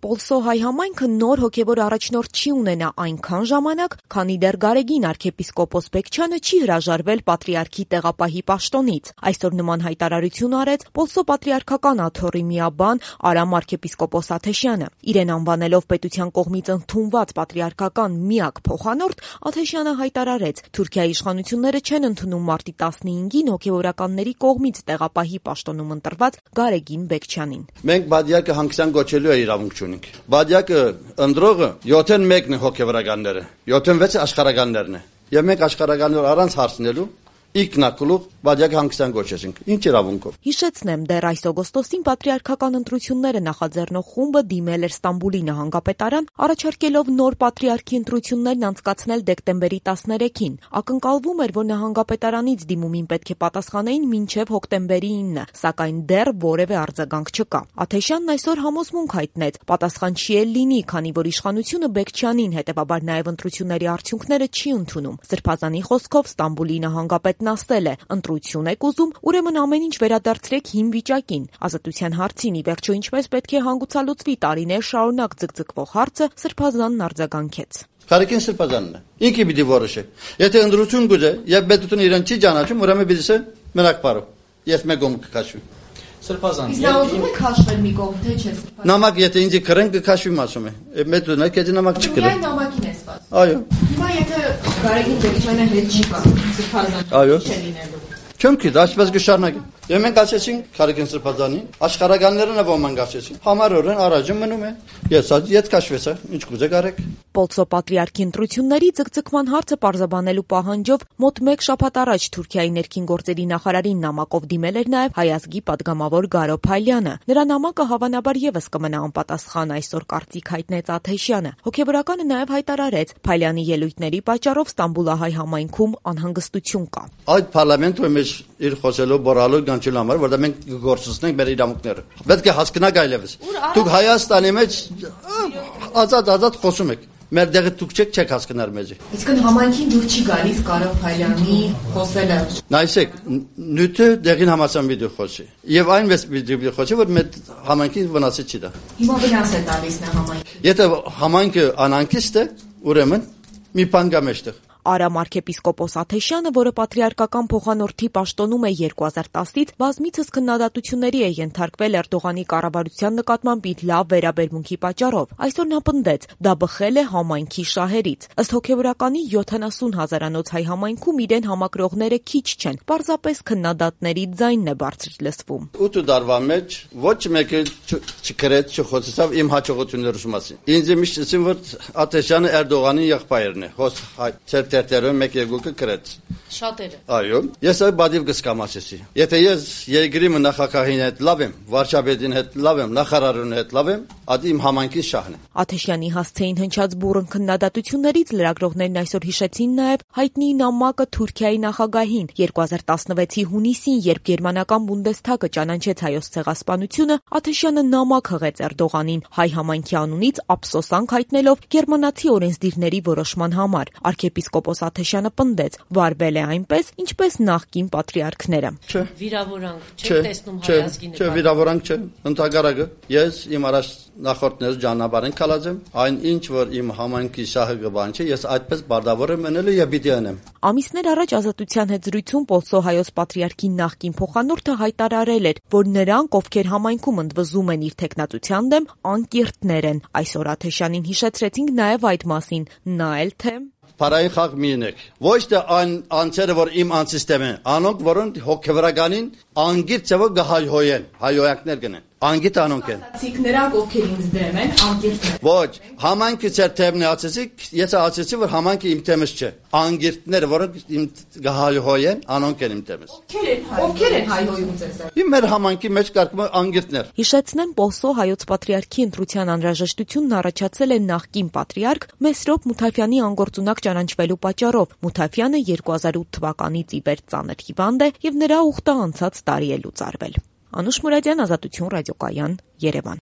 Պոլսո հայ համայնքը նոր հոգևոր առաջնորդ չի ունենա այնքան ժամանակ, քանի դեռ Գարեգին arczepiskopos Բեկչյանը չի հրաժարվել պատրիարքի տեղապահի պաշտոնից։ Այսօր նման հայտարարություն արեց Պոլսո պատրիարքական աթոռի միաբան Արամ arczepiskopos Աթեշյանը։ Իրեն անվանելով պետության կողմից ընդունված պատրիարքական միակ փոխանորդ, Աթեշյանը հայտարարեց. Թուրքիայի իշխանությունները չեն ընդունում մարտի 15-ին հոգևորականների կողմից տեղապահի պաշտոնում ընտրված Գարեգին Բեկչյանին։ Մենք բادیակը հանգստյան գոչելու իրավունք չունենք։ Բادیակը ընդրողը 71-ն է հոգևորականները, 76-ը աշխարհականներն է։ Եվ մենք աշխարհականներ առանց հարցնելու Իգնակլուղ բادیակը հանգստյան գոչեցինք։ Ինչ իրավունքով։ Հիշեցնեմ, դեռ այս օգոստոսին պատրիարքական ընտրությունները նախաձեռնող խումբը դիմել էր Ստամբուլի նահանգապետարան, առաջարկելով նոր պատրիարքի ընտրություններն անցկացնել դեկտեմբերի 13-ին։ Ակնկալվում էր, որ նահանգապետարանից դիմումին պետք է պատասխանեին մինչև հոկտեմբերի 9, սակայն դեռ որևէ արձագանք չկա։ Աթեշյանն այսօր համոզմունք հայտնեց. պատասխան չի էլ լինի, քանի որ իշխանությունը Բեկչյանին, հետևաբար նաև ընտրությունների արդյունքները չի ընդունում։ Սրբազանի խոսքով Ստամբուլի նահանգապետն ասել է. ընտրություն եք ուզում, ուրեմն ամեն ինչ վերադարձրեք հին վիճակին։ Ազատության հարցին ի վերջո ինչպես պետք է հանգուցալուծվի տարիներ շարունակ ձգձգվող հարցը Սրբազանն արձագանքեց։ Գարեգին Սրբազանն է։ Ինքը պիտի որոշի։ Եթե ընտրություն գուզե, եւ պետությունը իրեն չի ճանաչում, ուրեմն պիտի ասե մենակ բարով։ Ես մեկում կքաշվի։ Սրբազան։ Իսկ նա ուզում է քաշվել մի կողմ, թե չէ Սրբազան։ Նամակ եթե ինձ կրեն կքաշվի ասում է։ Մեծունա քեզ նամակ չկրեն։ Միայն նամակին է սպասում։ Այո։ Հիմա եթե Գարեգին Բեկչյանը հետ չի գա, Սրբազան։ Այո։ Չէ լինելու։ Չեմ գիտի, այսպես կշարունակի։ Եվ մենք ասեցինք Գարեգին Սրբազանին, աշխարհականներն է ոմանք ասեցին։ Համարորեն առաջում մնում է։ Ես իդ քաշվեցա, ինչ կուզե կարեք։ Պոլսո պատրիարքի ընտրությունների ձգձգման հարցը պարզաբանելու պահանջով մոտ 1 շաբաթ առաջ Թուրքիայի ներքին գործերի նախարարին նամակով դիմել էր նաև հայազգի падգամավոր Գարո Փայլյանը։ Նրա նամակը հավանաբար եւս կմնա անպատասխան, այսօր կարծիք հայտնեց Աթեշյանը։ Հոգևորականը նաև հայտարարեց Փայլյանի ելույթների պատճառով Ստամբուլահայ համայնքում անհանգստություն կա։ Այդ parlamento մեջ իր խոսելով բորալու գանչելու համար, որտեղ մենք գործունենք մեր իրավունքները։ Պետք է հասկանաք այլևս։ Դուք Հայաստանի մեջ ազատ խոսում եք։ Մեր դեղը դուք չեք հասկանալ մեզի։ Իսկն համայնքին դուր չի գալիս Գարո Փայլյանի խոսելը։ Նայսեք, նյութը դեղին համացան վիդեո խոսի։ Եվ այնպես վիդեո խոսի, որ մեր համայնքին վնասը չի դա։ Հիմա վնաս է տալիս նա համայնքին։ Եթե համայնքը անհանգիստ է, ուրեմն մի բան կա մեջտեղ։ Արամ arczepiskopos Աթեշյանը, որը պատրիարքական փոխանորդի պաշտոնում է 2010-ից, բազմիցս քննադատությունների է ենթարկվել Էրդողանի կառավարության նկատմամբ իր լավ վերաբերմունքի պատճառով։ Այսօր նա պնդեց, դա բխել է համայնքի շահերից։ Ըստ հոգևորականի 70 հազարանոց հայ համայնքում իրեն համակրողները քիչ չեն, պարզապես քննադատների ձայնն է բարձր լսվում։ 8 տարվա մեջ ոչ մեկը չկրեց, չխոսեցավ իմ հաջողությունների մասին։ Ինձ միշտ ասին, որ Աթեշյանը Էրդողանի եղբայրն է։ Տերտերում մեկ երկուքը կրեց։ Շատերը։ Այո, ես այդ բադիվ կսկամասեցի։ Եթե ես երկրի նախագահին հետ լավ եմ, վարչապետին հետ լավ եմ, նախարարին հետ լավ եմ, այդ իմ համայնքի շահն է։ Աթեշյանի հասցեին հնչած բուռն քննադատություններից լրագրողներն այսօր հիշեցին նաև հայտնի նամակը Թուրքիայի նախագահին 2016-ի հունիսին, երբ գերմանական Բունդեսթագը ճանաչեց հայոց ցեղասպանությունը, Աթեշյանը նամակ հղեց Էրդողանին հայ համայնքի անունից ափսոսանք հայտնելով գերմանացի օրենսդիրների որոշման համար։ Arczepiskopos Աթեշյանը պնդեց, վարվել է այնպես, ինչպես նախկին պատրիարքները։ Վիրավորանք չեք տեսնում հայազգի նկատմամբ։ Չէ, վիրավորանք չէ, ընդհակառակը ես իմ առաջ նախորդներս ճանապարհին կալած եմ, այն ինչ որ իմ համայնքի շահը կբանչի, ես այդպես բարդավոր եմ մնելու եւ պիտի անեմ։ Ամիսներ առաջ Ազատության հետ զրույցում Պոլսո հայոց պատրիարքի նախկին փոխանորդը հայտարարել էր, որ նրանք, ովքեր համայնքում ընդվզում են իր թեկնածության դեմ, անկիրտներ են։ Այսօր Աթեշյանին հիշեցրեցինք նաև այդ մասին, նա էլ թե Փարայի խաղ մինեք։ Ոչ թե այն անձերը, որ իմ անսիստեմ են, անոնք, որոնք հոգևորականին անգիր ծավալ գահայհոյեն, հայոյանքներ գնեն։ Անգիտ անոնք են։ Ասացիք նրանք, ովքեր ինձ դեմ են, անկիրտներ։ Ոչ, համայնքը ծեր թեմն է ասեցիք, ես ասեցի, որ համայնքը իմ թեմս չէ։ Անգիրտները, որոնք իմ գահայհոյեն, անոնք են իմ թեմս։ Ովքեր են հայհոյում ձեզ։ Իմ մեր համայնքի մեջ կարգում անգիրտներ։ Հիշեցնեմ, Պոլսո հայոց պատրիարքի ընտրության անհրաժեշտությունն առաջացել է նախկին պատրիարք Մեսրոպ Մութաֆյանի անգործունակ ճանաչվելու պատճառով։ Մութաֆյանը 2008 թվականից ի վեր ծանր հիվանդ է եւ նրա ուխտը անցած տարի է լուծարվել։ Անուշ Մուրադյան, Ազատություն ռադիոկայան, Երևան։